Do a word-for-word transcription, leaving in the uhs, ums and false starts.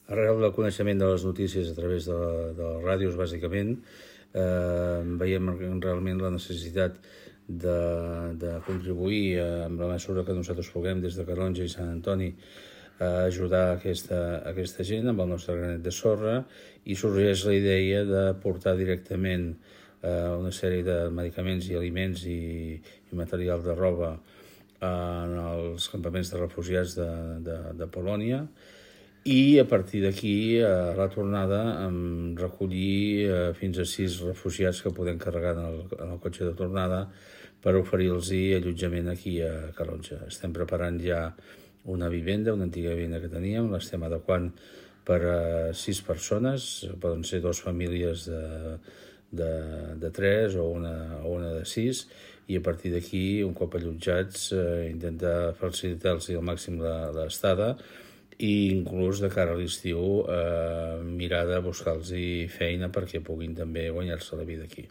Arrel del coneixement de les notícies a través de, de les ràdios, bàsicament, eh, veiem realment la necessitat de, de contribuir eh, amb la mesura que nosaltres puguem des de Calonge i Sant Antoni a ajudar aquesta, aquesta gent amb el nostre granet de sorra, i sorgeix la idea de portar directament eh, una sèrie de medicaments i aliments i, i material de roba en els campaments de refugiats de, de, de Polònia, i a partir d'aquí, a la tornada, recollir fins a sis refugiats que podem carregar en el, en el cotxe de tornada per oferir-los allotjament aquí a Calonge. Estem preparant ja una vivenda, una antiga vivenda que teníem, l'estem adequant per a sis persones, poden ser dues famílies de, de, de tres o una, o una de sis, i a partir d'aquí, un cop allotjats, eh, intentar facilitar-los al màxim l'estada, i inclús de cara a l'estiu eh, mirar de buscar-los feina perquè puguin també guanyar-se la vida aquí.